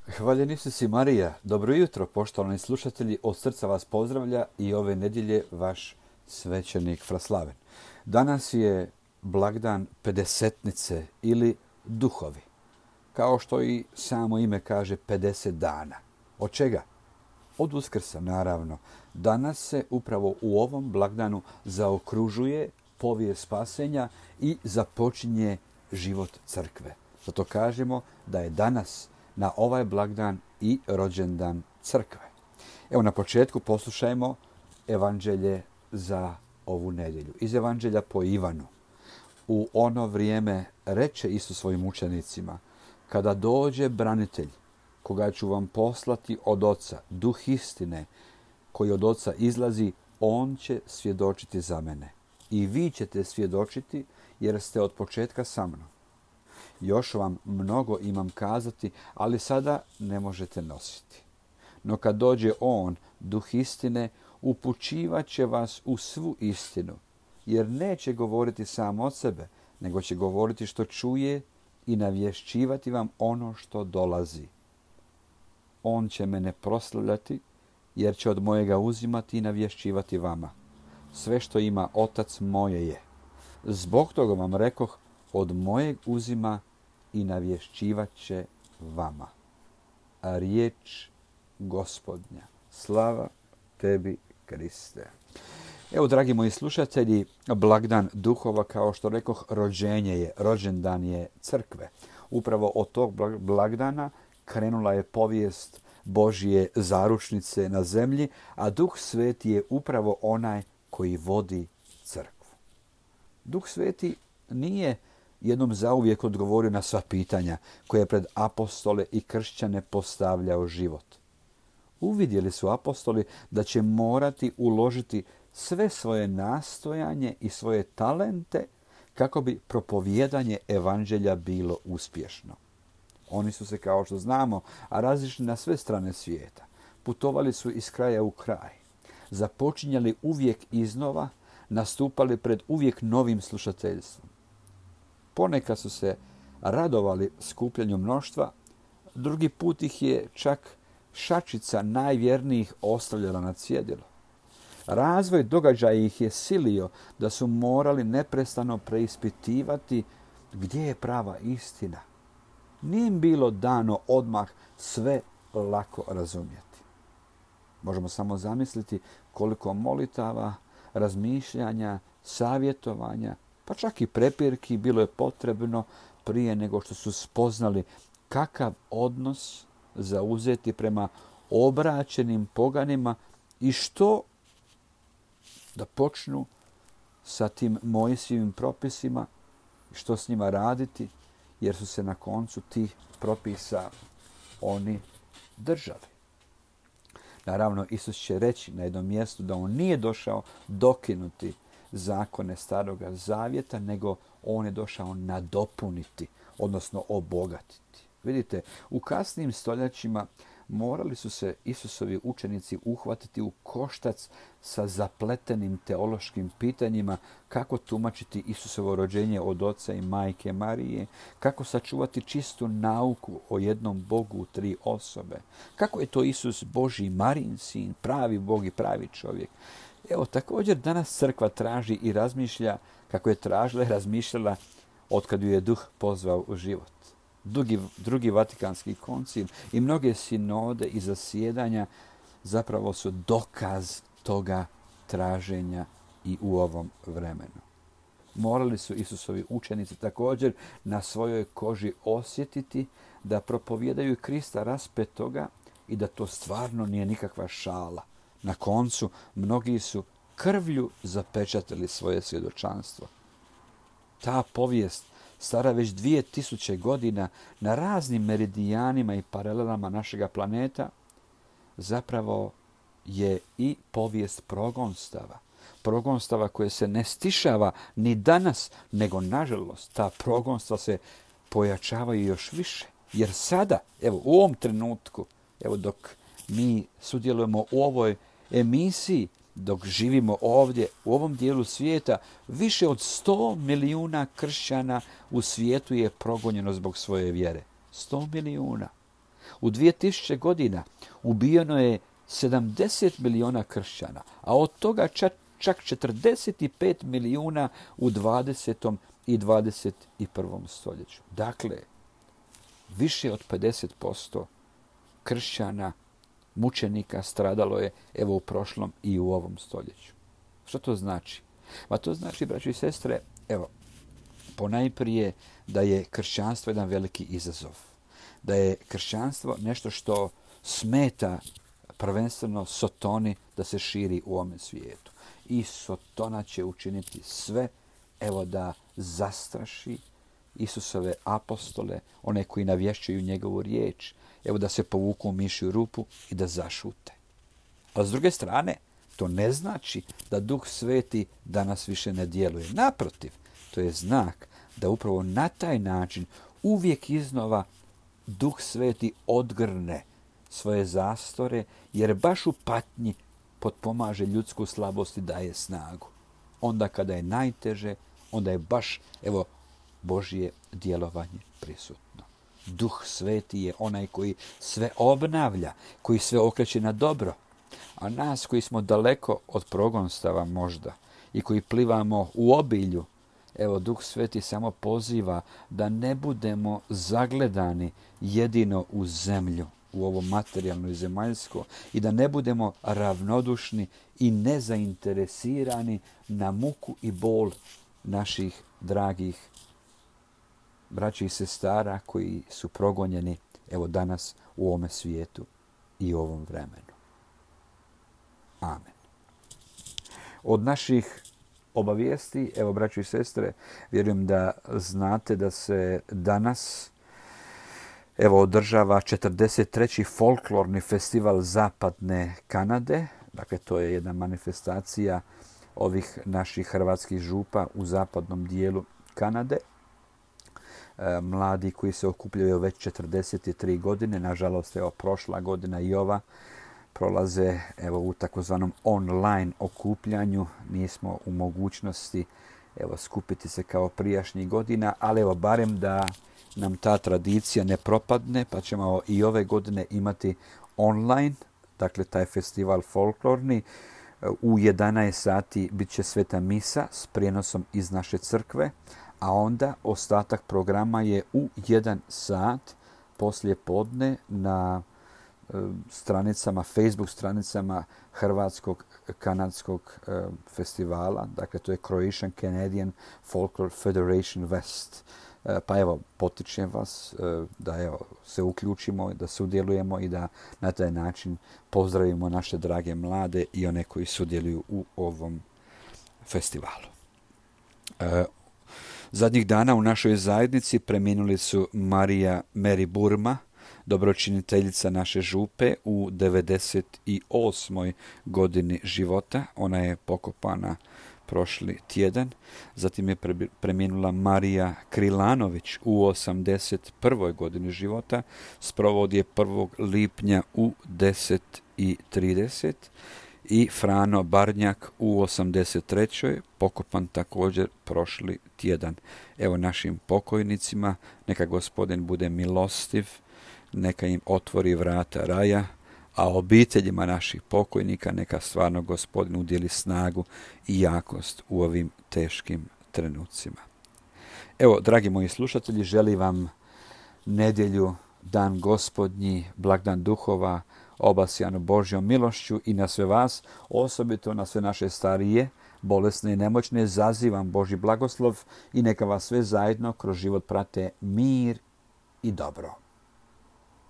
Hvaljeni su si Marija. Dobro jutro, poštovani slušatelji. Od srca vas pozdravlja i ove nedjelje vaš svećenik Fraslaven. Danas je blagdan Pedesetnice ili duhovi. Kao što i samo ime kaže, 50 dana. Od čega? Od Uskrsa, naravno. Danas se upravo u ovom blagdanu zaokružuje povijest spasenja i započinje život crkve. Zato kažemo da je danas na ovaj blagdan i rođendan crkve. Evo na početku poslušajmo evanđelje za ovu nedjelju. Iz evanđelja po Ivanu. U ono vrijeme reče Isus svojim učenicima: kada dođe branitelj, koga ću vam poslati od Oca, duh istine, koji od Oca izlazi, on će svjedočiti za mene. I vi ćete svjedočiti, jer ste od početka sa mnom. Još vam mnogo imam kazati, ali sada ne možete nositi. No kad dođe on, duh istine, upućivat će vas u svu istinu, jer neće govoriti sam od sebe, nego će govoriti što čuje i navješćivati vam ono što dolazi. On će mene proslavljati, jer će od mojega uzimati i navješćivati vama. Sve što ima Otac moje je. Zbog toga vam rekoh, od mojeg uzima i navješćivat će vama. A riječ Gospodnja. Slava tebi, Kriste. Evo, dragi moji slušatelji, blagdan duhova, kao što rekoh, rođenje je, rođendan je crkve. Upravo od tog blagdana krenula je povijest Božje zaručnice na zemlji, a Duh Sveti je upravo onaj koji vodi crkvu. Duh Sveti nije jednom zauvijek odgovorio na sva pitanja koje je pred apostole i kršćane postavljao život. Uvidjeli su apostoli da će morati uložiti sve svoje nastojanje i svoje talente kako bi propovijedanje evanđelja bilo uspješno. Oni su se, kao što znamo, razišli na sve strane svijeta. Putovali su iz kraja u kraj. Započinjali uvijek iznova, nastupali pred uvijek novim slušateljstvom. Ponekad su se radovali skupljanju mnoštva, drugi put ih je čak šačica najvjernijih ostavljala na cjedilu. Razvoj događaja ih je silio da su morali neprestano preispitivati gdje je prava istina. Nije im bilo dano odmah sve lako razumjeti. Možemo samo zamisliti koliko molitava, razmišljanja, savjetovanja, pa čak i prepirki bilo je potrebno prije nego što su spoznali kakav odnos zauzeti prema obraćenim poganima i što da počnu sa tim Mojsijevim propisima, što s njima raditi, jer su se na koncu tih propisa oni držali. Naravno, Isus će reći na jednom mjestu da on nije došao dokinuti zakone Staroga Zavjeta, nego on je došao nadopuniti, odnosno obogatiti. Vidite, u kasnim stoljećima morali su se Isusovi učenici uhvatiti u koštac sa zapletenim teološkim pitanjima kako tumačiti Isusovo rođenje od Oca i Majke Marije, kako sačuvati čistu nauku o jednom Bogu u 3 osobe, kako je to Isus Božji Marijin sin, pravi Bog i pravi čovjek. Evo, također danas crkva traži i razmišlja kako je tražila i razmišljala otkad ju je Duh pozvao u život. Drugi Vatikanski koncil i mnoge sinode i zasjedanja zapravo su dokaz toga traženja i u ovom vremenu. Morali su Isusovi učenici također na svojoj koži osjetiti da propovijedaju Krista raspetoga i da to stvarno nije nikakva šala. Na koncu mnogi su krvlju zapečatili svoje svjedočanstvo. Ta povijest, stara već 2000 godina, na raznim meridijanima i paralelama našega planeta, zapravo je i povijest progonstava. Progonstava koje se ne stišava ni danas, nego nažalost ta progonstva se pojačavaju još više. Jer sada, evo u ovom trenutku, evo dok mi sudjelujemo u ovoj emisiji, dok živimo ovdje u ovom dijelu svijeta, više od 100 milijuna kršćana u svijetu je progonjeno zbog svoje vjere. 100 milijuna. U 2000 godina ubijeno je 70 miliona kršćana, a od toga čak 45 milijuna u 20. i 21. stoljeću. Dakle, više od 50% kršćana, mučenika stradalo je evo u prošlom i u ovom stoljeću. Što to znači? Ma to znači, braćo i sestre, evo, ponajprije da je kršćanstvo jedan veliki izazov. Da je kršćanstvo nešto što smeta prvenstveno Sotoni da se širi u ovome svijetu. I Sotona će učiniti sve, evo, da zastraši Isusove apostole, one koji navješćuju njegovu riječ, evo da se povuku u mišju rupu i da zašute. A s druge strane, to ne znači da Duh Sveti danas više ne djeluje. Naprotiv, to je znak da upravo na taj način uvijek iznova Duh Sveti odgrne svoje zastore, jer baš u patnji potpomaže ljudsku slabost i daje snagu. Onda kada je najteže, onda je baš, evo, Božje djelovanje prisutno. Duh Sveti je onaj koji sve obnavlja, koji sve okreće na dobro. A nas koji smo daleko od progonstava možda i koji plivamo u obilju, evo, Duh Sveti samo poziva da ne budemo zagledani jedino u zemlju, u ovo materijalno i zemaljsko, i da ne budemo ravnodušni i nezainteresirani na muku i bol naših dragih braća i sestara koji su progonjeni, evo, danas u ovome svijetu i u ovom vremenu. Amen. Od naših obavijesti, evo, braćo i sestre, vjerujem da znate da se danas, evo, održava 43. folklorni festival Zapadne Kanade. Dakle, to je jedna manifestacija ovih naših hrvatskih župa u zapadnom dijelu Kanade. Mladi koji se okupljaju već 43 godine, nažalost, evo, prošla godina i ova, prolaze, evo, u takozvanom online okupljanju. Nismo u mogućnosti, evo, skupiti se kao prijašnjih godina, ali evo, barem da nam ta tradicija ne propadne, pa ćemo i ove godine imati online, dakle, taj festival folklorni. U 11 sati bit će sveta misa s prijenosom iz naše crkve, a onda ostatak programa je u 1 sat poslije podne na stranicama, Facebook stranicama Hrvatskog kanadskog festivala. Dakle, to je Croatian Canadian Folklore Federation West. Pa evo, potičem vas da, evo, se uključimo, da sudjelujemo i da na taj način pozdravimo naše drage mlade i one koji sudjeluju u ovom festivalu. Zadnjih dana u našoj zajednici preminuli su Mary Burma, dobročiniteljica naše župe u 98. godini života. Ona je pokopana prošli tjedan. Zatim je preminula Marija Krilanović u 81. godini života. Sprovod je 1. lipnja u 10:30. I Frano Barnjak u 83. pokopan također prošli tjedan. Evo, našim pokojnicima neka Gospodin bude milostiv, neka im otvori vrata raja, a obiteljima naših pokojnika neka stvarno Gospodin udjeli snagu i jakost u ovim teškim trenucima. Evo, dragi moji slušatelji, želim vam nedjelju, dan Gospodnji, blagdan duhova, obasjanu Božjom milošću i na sve vas, osobito na sve naše starije, bolesne i nemoćne, zazivam Božji blagoslov i neka vas sve zajedno kroz život prate mir i dobro.